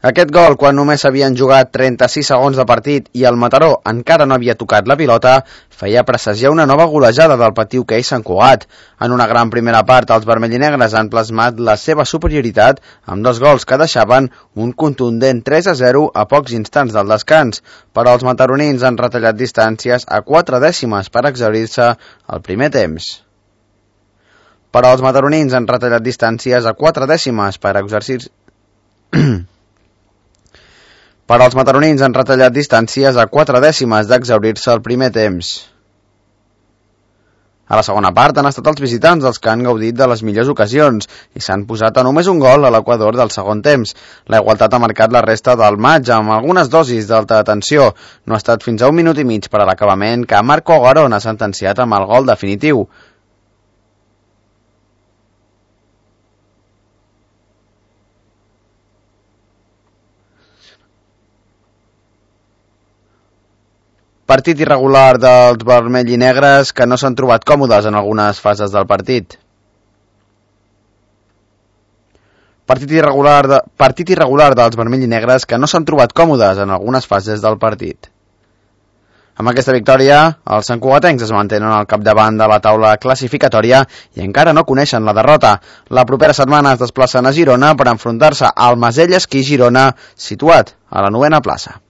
Aquest gol, quan només s'havien jugat 36 segons de partit i el Mataró encara no havia tocat la pilota, feia presagiar una nova golejada del patí hoquei Sant Cugat. En una gran primera part, els vermellinegres han plasmat la seva superioritat amb 2 gols que deixaven un contundent 3-0 a pocs instants del descans, però els mataronins han retallat distàncies a 4 dècimes per exhaurir-se al primer temps. Els mataronins han retallat distàncies a 4 dècimes d'exhaurir-se al primer temps. A la segona part han estat els visitants els que han gaudit de les millors ocasions i s'han posat a només un gol a l'equador del segon temps. La igualtat ha marcat la resta del maig amb algunes dosis d'alta tensió. No ha estat fins a 1 minut i mig per a l'acabament que Marco Garón ha sentenciat amb el gol definitiu. Partit irregular dels vermellinegres que no s'han trobat còmodes en algunes fases del partit. Partit irregular dels vermellinegres que no s'han trobat còmodes en algunes fases del partit. Amb aquesta victòria, els santcugatencs es mantenen al capdavant de la taula classificatòria i encara no coneixen la derrota. La propera setmana es desplacen a Girona per enfrontar-se al Masella Esquí Girona, situat a la 9ª plaça.